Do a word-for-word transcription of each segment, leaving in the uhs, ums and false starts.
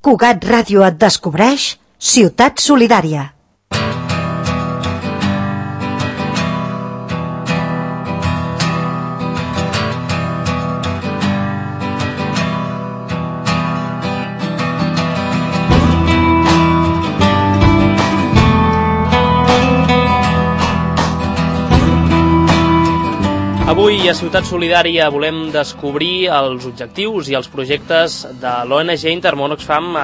Cugat Ràdio et descobreix Ciutat Solidària. Avui a Ciutat Solidària volem descobrir els objectius i els projectes de l'O N G Intermón Oxfam a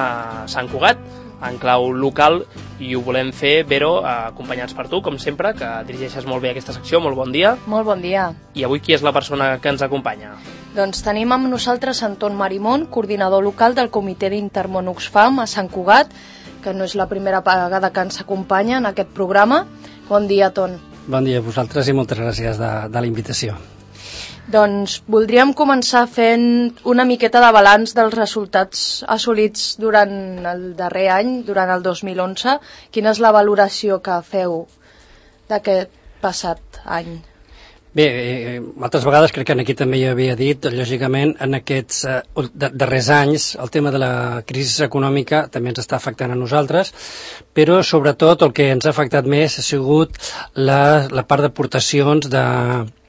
Sant Cugat, en clau local, i ho volem fer, Vero, acompanyats per tu, com sempre, que dirigeixes molt bé aquesta secció. Molt bon dia. Molt bon dia. I avui qui és la persona que ens acompanya? Doncs tenim amb nosaltres Anton Marimón, coordinador local del Comitè d'Intermón Oxfam a Sant Cugat, que no és la primera vegada que ens acompanya en aquest programa. Bon dia, Ton. Bon dia a vosaltres i moltes gràcies de, de la invitació. Doncs voldríem començar fent una miqueta de balanç dels resultats assolits durant el darrer any, durant el dos mil onze. Quina és la valoració que feu d'aquest passat any? Bé, eh, altres vegades crec que aquí també hi havia dit, lògicament, en aquests eh, darrers anys el tema de la crisi econòmica també ens està afectant a nosaltres, però sobretot el que ens ha afectat més ha sigut la, la part d'aportacions de,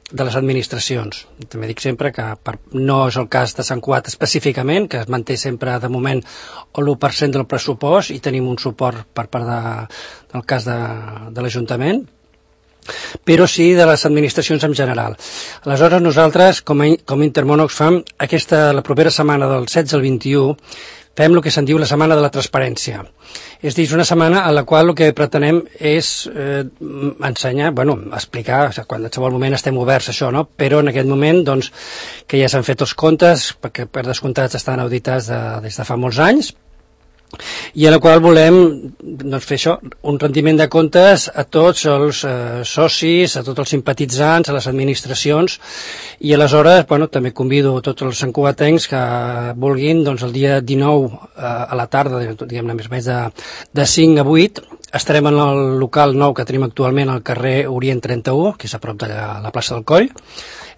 de les administracions. També dic sempre que per, no és el cas de Sant Cugat específicament, que es manté sempre de moment l'u per cent del pressupost i tenim un suport per part de, del cas de, de l'Ajuntament, però sí de les administracions en general. Aleshores nosaltres, com a, com a Intermón Oxfam, aquesta, la propera setmana del setze al vint-i-u, fem el que se'n diu la Setmana de la Transparència. És a dir, una setmana a la qual el que pretenem és eh, ensenyar, bueno, explicar, o sigui, quan en qualsevol moment estem oberts a això, no? Però en aquest moment, doncs, que ja s'han fet els comptes, perquè per descomptats estan auditats de, des de fa molts anys, i a la qual volem doncs, fer això, un rendiment de comptes a tots els eh, socis, a tots els simpatitzants, a les administracions, i aleshores bueno, també convido a tots els santcugatencs que vulguin, doncs el dia dinou eh, a la tarda, diguem-ne més o menys de, de cinc a vuit, estarem en el local nou que tenim actualment al carrer Orient trenta-u, que és a prop de la, la plaça del Coll,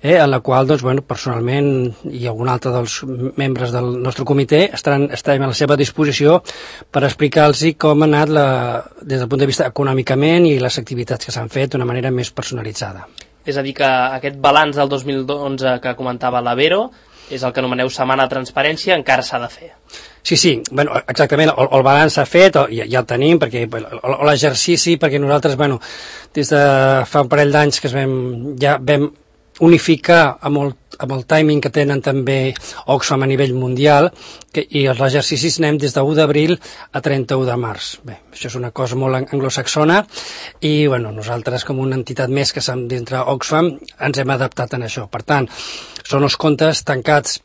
Eh, en la qual doncs, bueno, personalment i algun altre dels membres del nostre comitè estaran, estarem a la seva disposició per explicar-los com ha anat la, des del punt de vista econòmicament i les activitats que s'han fet d'una manera més personalitzada. És a dir, que aquest balanç del dos mil onze que comentava la Vero és el que anomeneu Setmana de Transparència, encara s'ha de fer. Sí, sí, bueno, exactament, el, el balanç s'ha fet, ja, ja el tenim, perquè l'exercici, perquè nosaltres, bueno, des de fa un parell d'anys que es vam, ja vam unificar amb el, amb el timing que tenen també Oxfam a nivell mundial, que, i els exercicis anem des de u d'abril a trenta-u de març. Bé, això és una cosa molt anglosaxona i bueno, nosaltres com una entitat més que som dintre Oxfam ens hem adaptat en això. Per tant, són els comptes tancats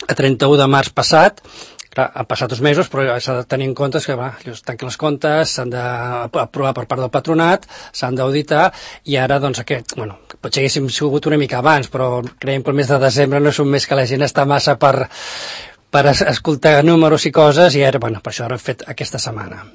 a trenta-u de març passat. Clar, han passat dos mesos, però s'ha de tenir en compte que va, es tanquen els comptes, s'han d'aprovar per part del patronat, s'han d'auditar, i ara, doncs, aquest, bueno, potser haguéssim sigut una mica abans, però creiem que el mes de desembre no és un mes que la gent està massa per, per escoltar números i coses, i ara, bueno, per això ara hem fet aquesta setmana.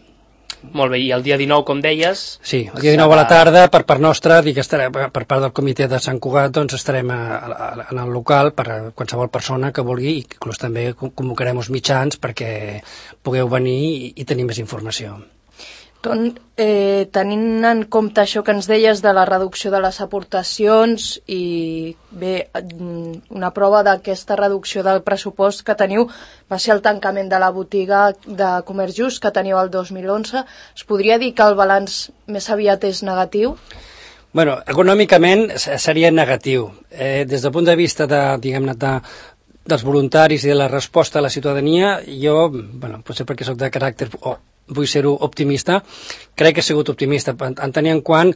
Molt bé, i el dia dinou, com deies... Sí, el dia dinou a la tarda, per part nostra, dic, estarem, per part del comitè de Sant Cugat, doncs estarem a, a, en el local per a qualsevol persona que vulgui, i inclús també convocarem els mitjans perquè pugueu venir i, i tenir més informació. Ton, eh, tenint en compte això que ens deies de la reducció de les aportacions i bé, una prova d'aquesta reducció del pressupost que teniu va ser el tancament de la botiga de Comerç Just que teniu el dos mil onze. Es podria dir que el balanç més aviat és negatiu? Bueno, econòmicament seria negatiu. Eh, des del punt de vista de, diguem-ne, de, dels voluntaris i de la resposta a la ciutadania, jo, bueno, potser perquè soc de caràcter... Oh, vull ser-ho optimista, crec que he sigut optimista, en tenir en quant,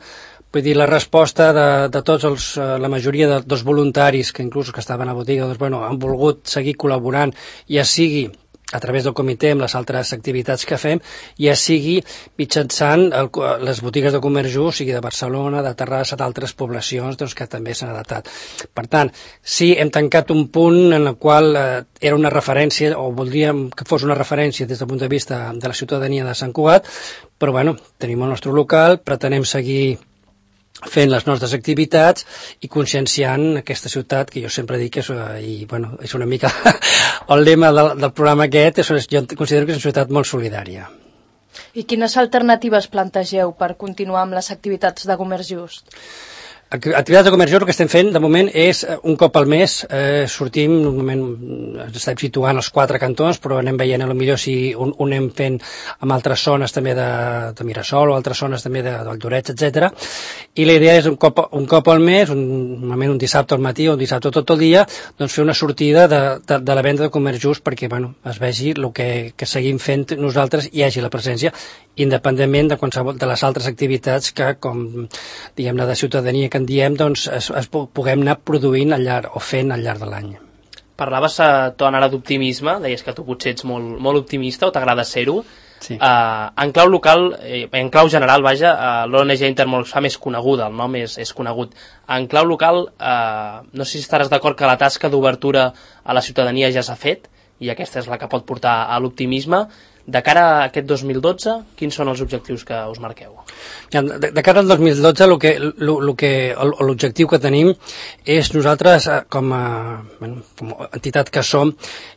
vull dir, la resposta de, de tots els, la majoria de, dels voluntaris que inclús que estaven a la botiga, doncs, bueno, han volgut seguir col·laborant, ja sigui a través del comitè amb les altres activitats que fem, ja sigui mitjançant el, les botigues de Comerç Just, sigui de Barcelona, de Terrassa, d'altres poblacions doncs, que també s'han adaptat. Per tant, sí, hem tancat un punt en el qual eh, era una referència, o voldríem que fos una referència des del punt de vista de la ciutadania de Sant Cugat, però bueno, tenim el nostre local, pretenem seguir fent les nostres activitats i conscienciant aquesta ciutat, que jo sempre dic que és, i, bueno, és una mica el lema del, del programa aquest, és, jo considero que és una ciutat molt solidària. I quines alternatives plantegeu per continuar amb les activitats de comerç just? Activitats de comerç just, el que estem fent de moment és un cop al mes, eh, sortim, normalment ens estem situant als quatre cantons, però anem veient a lo millor si un, un anem fent amb altres zones també de, de Mirasol o altres zones també de, del Lloret, etcètera. I la idea és un cop, un cop al mes, un, normalment un dissabte al matí o un dissabte tot el dia, doncs fer una sortida de, de, de la venda de comerç just perquè, bueno, es vegi el que, que seguim fent nosaltres i hi hagi la presència, independentment de qualsevol de les altres activitats que, com diguem-ne, de ciutadania que en diem, doncs es, es puguem anar produint al llarg, o fent al llarg de l'any. Parlaves, uh, Ton, ara d'optimisme, deies que tu potser ets molt, molt optimista o t'agrada ser-ho. Sí. Uh, en clau local, eh, en clau general, vaja, uh, l'O N G Intermón Oxfam és coneguda, el nom és, és conegut. En clau local, uh, no sé si estaràs d'acord que la tasca d'obertura a la ciutadania ja s'ha fet, i aquesta és la que pot portar a l'optimisme. De cara a aquest dos mil dotze, quins són els objectius que us marqueu? De, de cara al dos mil dotze, lo que, lo, lo que, l'objectiu que tenim és nosaltres, com a, bueno, com a entitat que som,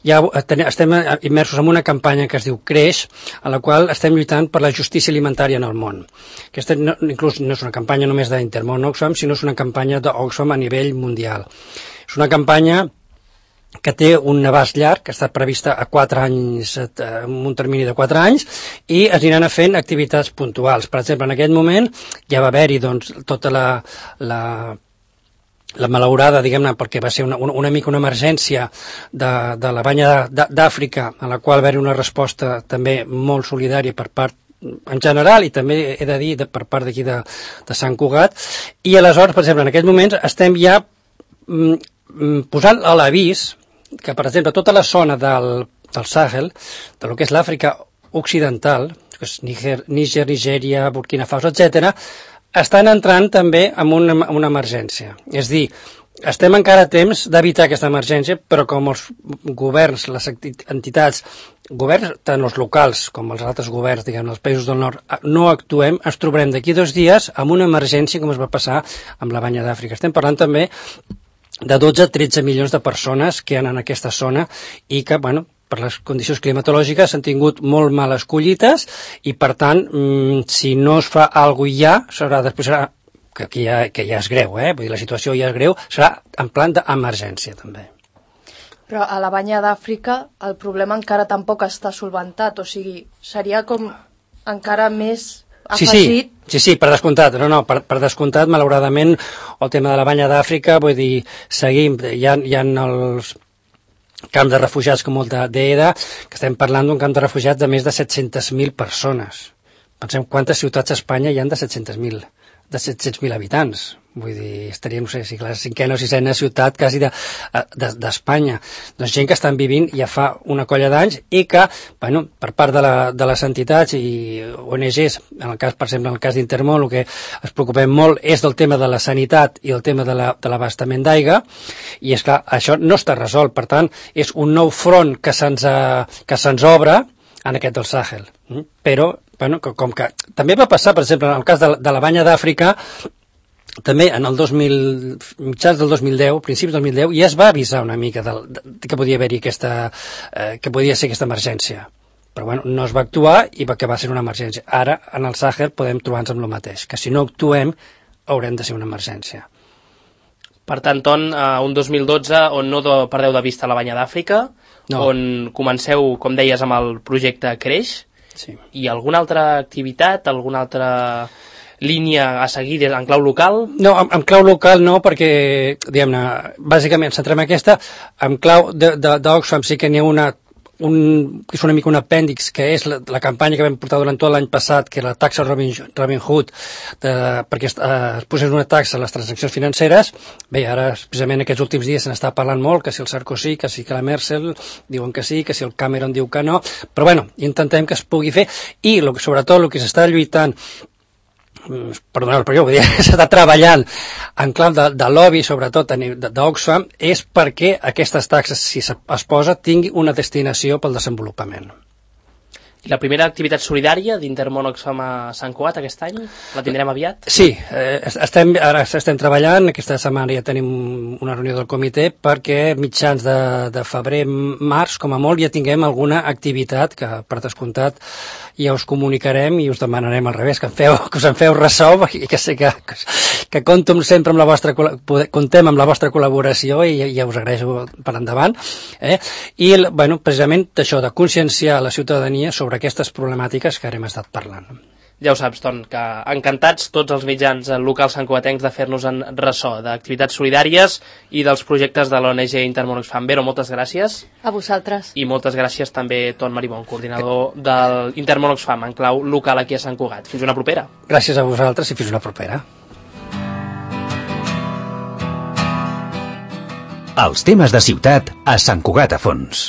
ja estem immersos en una campanya que es diu Creix, a la qual estem lluitant per la justícia alimentària en el món. Aquesta no, inclús no és una campanya només d'Intermón Oxfam, sinó és una campanya d'Oxfam a nivell mundial. És una campanya que té un abast llarg, que està prevista a quatre anys, en un termini de quatre anys, i es aniran fent activitats puntuals. Per exemple, en aquest moment ja va haver-hi doncs, tota la, la, la malaurada, diguem-ne, perquè va ser una, una, una mica una emergència de, de la banya d'Àfrica, a la qual va haver una resposta també molt solidària per part en general, i també he de dir de, per part d'aquí de, de Sant Cugat, i aleshores, per exemple, en aquests moments estem ja mm, posant a l'avís que, per exemple, tota la zona del, del Sàhel, de lo que és l'Àfrica occidental, que és Níger, Níger, Nigèria, Burkina Faso, etcètera, estan entrant també en una, en una emergència. És dir, estem encara a temps d'evitar aquesta emergència, però com els governs, les entitats, governs tant els locals com els altres governs, diguem, dels països del nord, no actuem, ens trobarem d'aquí dos dies amb una emergència com es va passar amb la banya d'Àfrica. Estem parlant també de dotze a tretze milions de persones que hi ha en aquesta zona i que, bueno, per les condicions climatològiques s'han tingut molt males collites i, per tant, mmm, si no es fa alguna cosa ja, serà, després serà, que, que, ja, que ja és greu, eh? Vull dir, la situació ja és greu, serà en plan d'emergència, també. Però a la banya d'Àfrica el problema encara tampoc està solventat, o sigui, seria com encara més Sí, afegit. sí, sí, sí, per descomptat, no, no, per, per descomptat, malauradament, el tema de la banya d'Àfrica, vull dir, seguim, hi ha, hi ha els camps de refugiats com el d'Eda, que estem parlant d'un camp de refugiats de més de set-centes mil persones. Pensem quantes ciutats a Espanya hi ha de set-cents mil, de set-cents mil habitants. Vull dir, estaria, no sé, si la cinquena o sisena ciutat quasi d'Espanya. De, de, doncs gent que estan vivint ja fa una colla d'anys i que, bueno, per part de, la, de les entitats i O N Ges, en el cas, per exemple, en el cas d'Intermón, el que es preocupem molt és del tema de la sanitat i el tema de l'abastament la, d'aigua, i és clar, això no està resolt, per tant, és un nou front que se'ns que se'ns obre en aquest del Sàhel. Però, bueno, com que també va passar, per exemple, en el cas de, de la banya d'Àfrica, també en el dos mil, mitjans del dos mil deu, principis del dos mil deu, ja es va avisar una mica de, de, de que podia haver-hi aquesta, eh, que podia ser aquesta emergència. Però bueno, no es va actuar i va acabar sent una emergència. Ara, en el Sàhel, podem trobar-nos amb el mateix, que si no actuem, haurem de ser una emergència. Per tant, Ton, uh, un dos mil dotze on no de, perdeu de vista la banya d'Àfrica, no. On comenceu, com deies, amb el projecte Creix, sí. I alguna altra activitat, alguna altra línia a seguir en clau local? No, en, en clau local no, perquè, diguem-ne, bàsicament centrem aquesta, en clau d'Oxfam sí que n'hi ha una, un, que és una mica un apèndix, que és la, la campanya que vam portar durant tot l'any passat, que era la taxa Robin, Robin Hood, de, perquè eh, es posés una taxa a les transaccions financeres. Bé, ara, precisament aquests últims dies se n'està parlant molt, que si el Sarkozy, que si que la Merkel diuen que sí, que si el Cameron diu que no, però bueno, intentem que es pugui fer, i lo, sobretot el que s'està lluitant, perdoneu, però jo vull dir, s'està treballant en clau de, de lobby, sobretot d'Oxfam, és perquè aquestes taxes, si es posa, tingui una destinació pel desenvolupament. I la primera activitat solidària d'Intermón Oxfam a Sant Cugat aquest any? La tindrem aviat? Sí, eh, estem, ara estem treballant, aquesta setmana ja tenim una reunió del comitè perquè mitjans de, de febrer, març, com a molt, ja tinguem alguna activitat que, per descomptat, ja us comunicarem i us demanarem al revés, que, en feu, que us en feu ressò i que sé que, que compto sempre amb la vostra, contem amb la vostra col·laboració i ja us agraeixo per endavant. Eh? I, bueno, precisament això, de conscienciar la ciutadania sobre aquestes problemàtiques que ara hem estat parlant. Ja ho saps, Ton, que encantats tots els mitjans locals santcugatencs de fer-nos en ressò d'activitats solidàries i dels projectes de l'O N G Intermón Oxfam. Vero, moltes gràcies. A vosaltres. I moltes gràcies també, Ton Maribon, coordinador que... del Intermón Oxfam en clau local aquí a Sant Cugat. Fins una propera. Gràcies a vosaltres i fins una propera. Els temes de ciutat a Sant Cugat a fons.